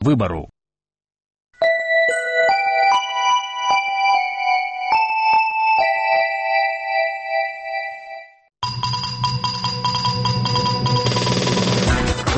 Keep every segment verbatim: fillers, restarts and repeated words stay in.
выбару.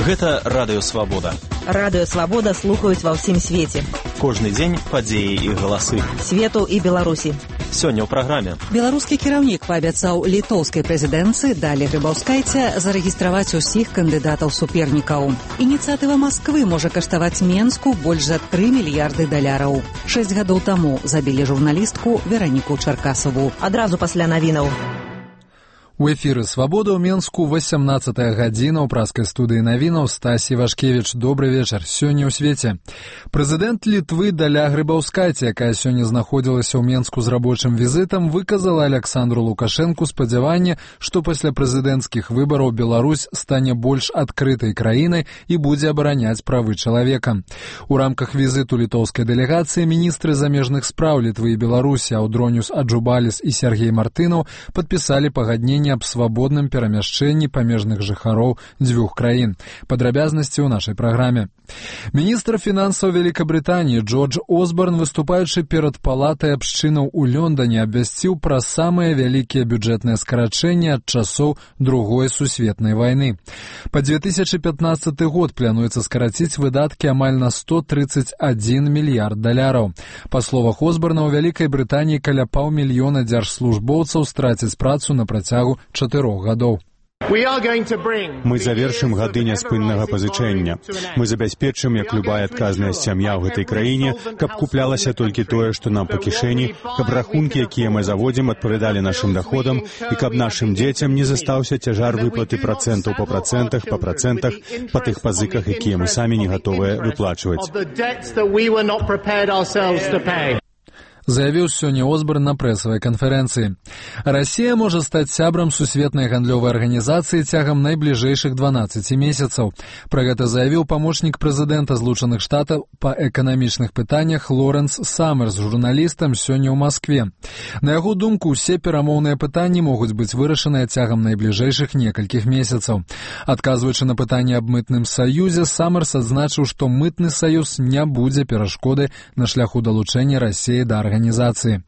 Гэта радыё Свабода. Радыё Свабода слухаюць ва ўсім свеце. Кожны дзень падзеі і галасы свету і Беларусі. Сёння ў праграме. Беларускі кіраўнік паабяцаў літоўскай прэзідэнцыі Далі Грыбаўскайце зарэгістраваць усіх кандыдатаў-супернікаў. Ініцыятыва Масквы можа каштаваць Менску больш за тры мільярды даляраў. Шэсць гадоў таму забілі журналістку Вераніку Чаркасаву. Адразу пасля навінаў. У эфіры «Свабода» ў Менску васямнаццатая гадзіна ў праскай студыі навінаў Стасі Вашкевіч. Добры вечар. Сёння ў свеце. Прэзідэнт Літвы Даля Грыбаўскайце, якая сёння знаходзілася ў Менску з рабочым візітам, выказала Аляксандру Лукашэнку спадзяванне, што пасля прэзідэнцкіх выбараў Беларусь стане больш адкрытай краінай і будзе абараняць правы чалавека. У рамках візіту літоўскай дэлегацыі міністры замежных спраў Літвы і Беларусі Аўдроніус Аджубаліс і Сергей Мартынаў падпісалі пагадненне аб свабодным перамяшчэнні памежных жыхароў дзвюх краін. Падрабязнасці ў нашай праграме. Міністр фінансаў Вялікабрытаніі Джордж Осборн, выступаючы перад палатай абшчынаў у Лондоне, абвясціў пра самыя вялікія бюджэтныя скарачэнні ад часоў Другой сусветнай вайны. Па две тысячы пятнаццаты год плануецца скараціць выдаткі амаль на сто тридцать один мільярд даляраў. Па словах Осборна, у Вялікай Брытаніі каля паўмільёна дзяржслужбоўцаў страцяць працу на працягу чатырох гадоў. Мы завершым гады няспыннага пазычэння. Мы забяспечым, як любая адказная сям'я ў гэтай краіне, каб куплялася толькі тое, што нам па кішэні, каб рахункі, якія мы заводзім, адпавядалі нашым даходам, і каб нашым дзецям не застаўся цяжар выплаты працэнтаў па працэнтах, па працэнтах, па тых пазыках, якія мы самі не гатовыя выплачваць. Заявіў сёння Осборн на прэсавай канферэнцыі. Расія можа стаць сябрам сусветнай гандлёвай арганізацыі цягам найбліжэйшых дванаццаці месяцаў. Пра гэта заявіў памочнік прэзідэнта Злучаных Штатаў па эканамічных пытаннях Лорэнс Саммерс журналістам сёння ў Маскве. На яго думку, усе перамоўныя пытанні могуць быць вырашаныя цягам найбліжэйшых некалькіх месяцаў. Адказваючы на пытанне аб мытным саюзе, Саммерс адзначыў, што мытны саюз не будзе перашкодай на шляху далучэння Расіі да арганізацыі.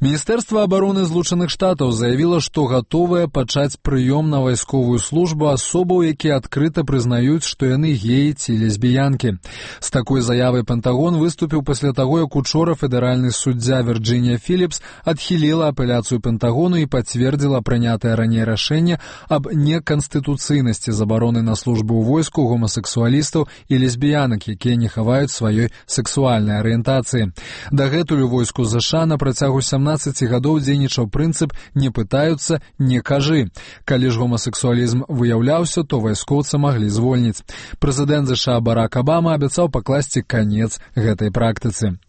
Міністэрства абароны Злучаных Штатаў заявіла, што гатовае пачаць прыём на вайсковую службу асобаў, якія адкрыта прызнаюць, што яны геі ці лесбіянкі. З такой заявай Пентагон выступіў пасля таго, як учора федэральны суддзя Вірджынія Філіпс адхіліла апеляцыю Пентагону і пацвердзіла прынятае раней рашэнне аб неканстытуцыйнасці забароны на службу ў войску гомасексуалістаў і лесбіянак, якія не хаваюць сваёй сэксуальнай арыентацыі. Дагэтуль у войску ЗША на працягу сямнаццаці гадоў дзейнічаў прынцып «не пытаюцца, не кажы». Калі ж гомасексуалізм выяўляўся, то вайскоўца маглі звольніць. Прэзідэнт ЗША Барак Абама абяцаў пакласці канец гэтай практыцы.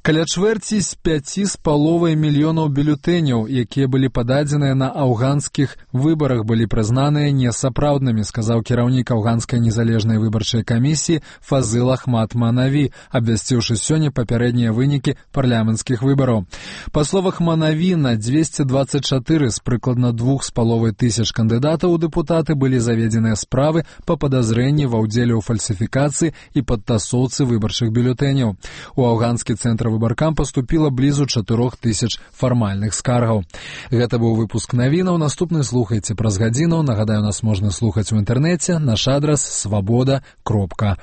Каля чвэрці з пяці з паловай мільёнаў бюлетэняў, якія былі пададзеныя на афганскіх выбарах, былі прызнаныя несапраўднымі, сказаў кіраўнік афганскай незалежнай выбарчай камісіі Фазыл Ахмад Манаві, абвясціўшы сёння папярэднія вынікі парламенцкіх выбараў. Па словах Манаві, на дзвесце дваццаць чатыры з прыкладна двух з паловай тысяч кандыдатаў у дэпутаты былі заведзеныя справы па падазрэнні ва ўдзеле ў фальсіфікацыі і падтасоўцы выбарчых бюлетэняў. У афганскі цэнтр выбаркам паступіла блізу чатырох тысяч фармальных скаргаў. Гэта быў выпуск навінаў. Наступны слухайце праз гадзіну. Нагадаю, нас можна слухаць у інтэрнэце. Наш адрас свабода кропка